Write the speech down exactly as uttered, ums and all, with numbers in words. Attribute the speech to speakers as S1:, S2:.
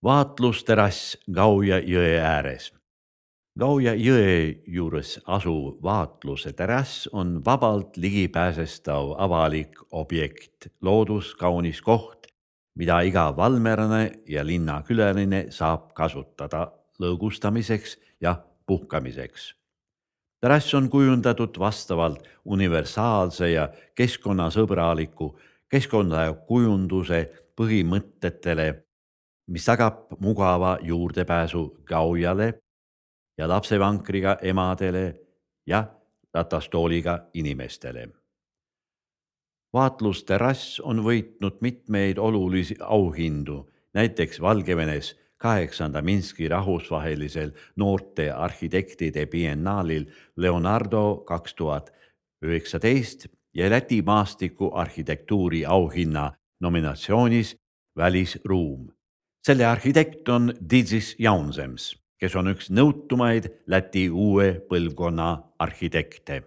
S1: Vaatlusterass Gauja jõe ääres. Gauja jõe juures asuv vaatluse terass on vabalt ligipääsestav avalik objekt, looduskaunis koht, mida iga valmerane ja linnakülaline saab kasutada lõõgustamiseks ja puhkamiseks. Terass on kujundatud vastavalt universaalse ja keskkonnasõbraliku keskkonnakujunduse põhimõtetele, mis tagab mugava juurdepääsu Gaujale ja lapsevankriga emadele ja ratastooliga inimestele. Vaatlusterass on võitnud mitmeid olulisi auhindu, näiteks Valgevenes kaheksanda Minski rahvusvahelisel noorte arhitektide biennaalil Leonardo kaks tuhat üheksateist ja Läti maastiku arhitektuuri auhinna nominatsioonis Välisruum. Selle arhitekt on Didzis Jaunzems, kes on üks nõutumaid Läti uue põlvkonna arhitekte.